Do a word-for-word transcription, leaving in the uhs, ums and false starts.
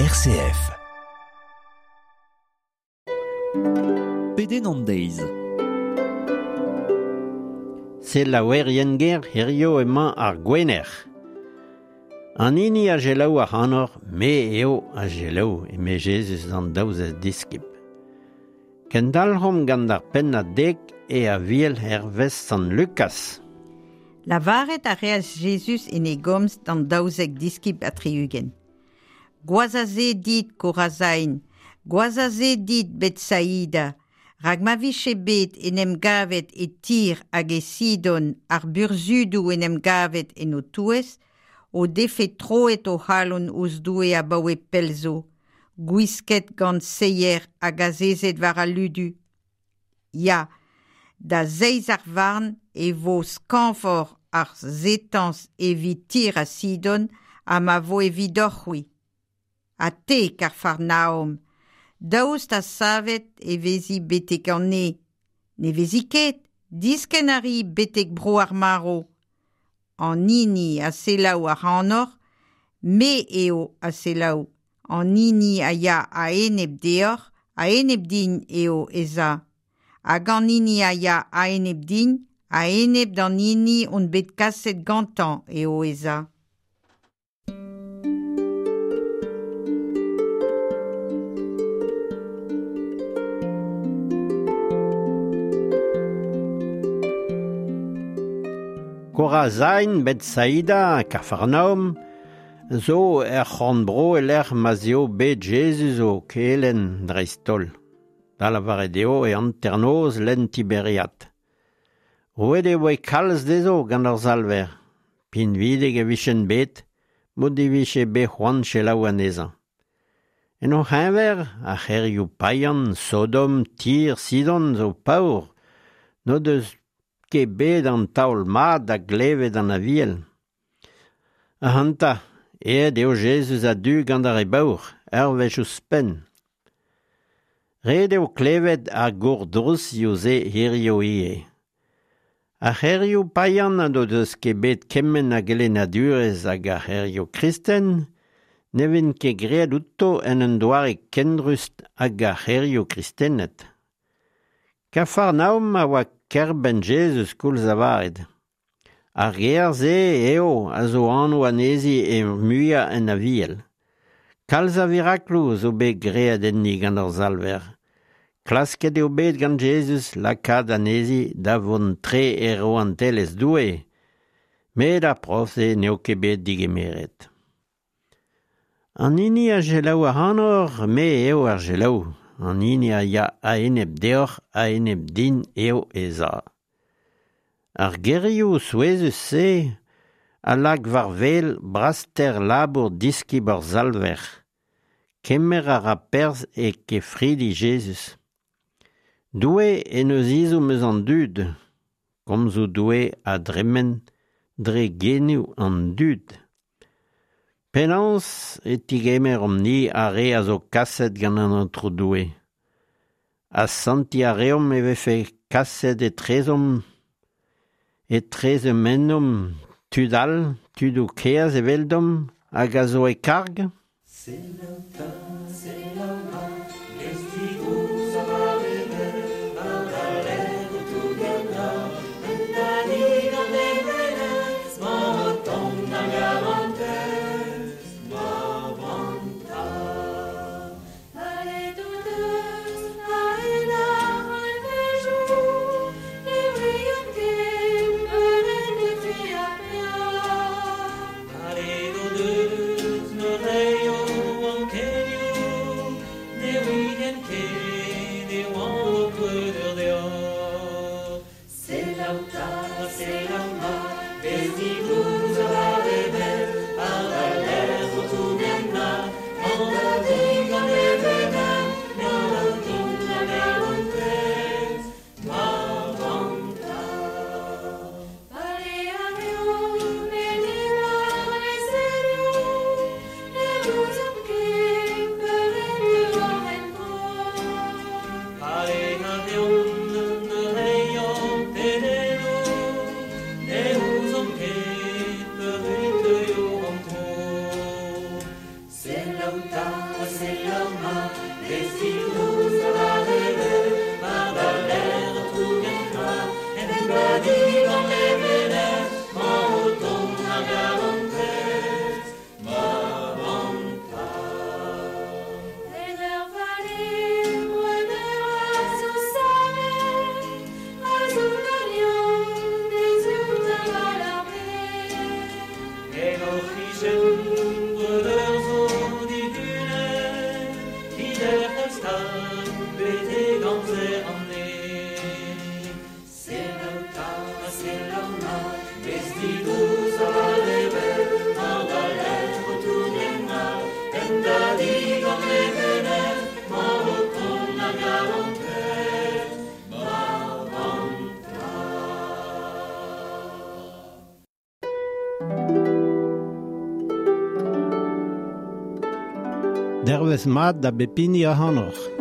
R C F. Pedenn an deiz. Selaouerien ger, hirio emañ ar Gwener. An hini a selaou ac'hanoc'h, me eo a selaou, eme Jezuz d'an daouzek diskib. Kendalc'homp gant ar pennad dek e Aviel hervez Sant Lukaz. Lavaret a reas Jezuz en e gomz d'an daouzek diskib ha tri-ugent. Gwazh a se dit, Korazain, gwazh a se dit, Betsaida, rak ma vije bet en em gavet e Tir hag e Sidon ar burzhudoù en em gavet en ho touez, o defe troet o c'halon ouzh Doue abaoe pell zo, gwisket gant seier hag azezet war al ludu. Ya, da zeiz ar varn e vo skañvoc'h ar setañs evit Tir ha Sidon ha ma vo evidoc'h-c'hwi. Ha te, Kafarnaom, daoust ha savet e vezi betek an neñv? Ne vezi ket, diskenn a ri betek bro ar marv. An hini a selaou ac'hanoc'h, me eo a selaou. An hini a ya a-enep deoc'h, a-enep din eo ez a. Hag an hini a ya a-enep din, a-enep d'an hini on bet kaset gantañ eo ez a. Korazain, Betsaida, Kafarnaom, zo er c'horn-bro e-lec'h ma'z eo bet Jezuz o kelenn dreist-holl. Da lavaret eo e hanternoz lenn Tiberiad. Roet e voe kalz dezho gant ar Salver. Pinvidik e vijent bet, m'o divije bet c'hoant selaou anezhañ. En o c'heñver, ar c'hêrioù paean, Sodom, Tir, Sidon zo paour, n'o deus ket bet an taol mat da glevet an Aviel. Ac'hanta, aet eo Jezuz a-du gant ar re baour, ur wech ouzhpenn. Ret eo klevet ar gourdrouzioù-se hirio ivez. Ar c'hêrioù paean n'o deus ket bet kement a gelennadurezh hag ar c'hêrioù kristen, ne vez ket graet outo en un doare ken rust hag ar c'hêrioù kristenet. Kafarnaom a oa kêr-benn Jezuz koulz lavaret. Ar gêr-se eo a zo anv anezhi ar muiañ en Aviel. Kalz a virakloù zo bet graet enni gant ar Salver. Klasket eo bet gant Jezuz lakaat anezhi da vont tre e rouantelezh Doue, met ar prof-se n'eo ket bet digemeret. An hini a selaou ac'hanoc'h, me eo a selaou. An hini a ya a-enep deoc'h, a-enep din eo ez a. Ar gerioù souezhus-se a lak war wel braster labour diskib ar Salver. Kemer a ra perzh e kefridi Jezuz. Doue en deus ezhomm eus an dud. Komzoù Doue a dremen dre genoù an dud. Penaos e tigemeromp-ni ar re a zo kaset gant an Aotrou Doue? Asantiñ a reomp e vefe kaset etrezomp, etrezomp ennomp tud all, tudoù kaezh eveldomp hag a zo e karg? Selaou 'ta, selaou mat, ez digouz war e benn, war da lerc'h o tougen ra, un tadig an levenez, 'mañ o tont ar garantez, war branta. Palet o deus a-hed ar c'hantvejoù, ne ouiont ket peur en defe ar peoc'h. Palet o deus ne reio ankenioù, Dervez mat da bep hini ac'hanoc'h.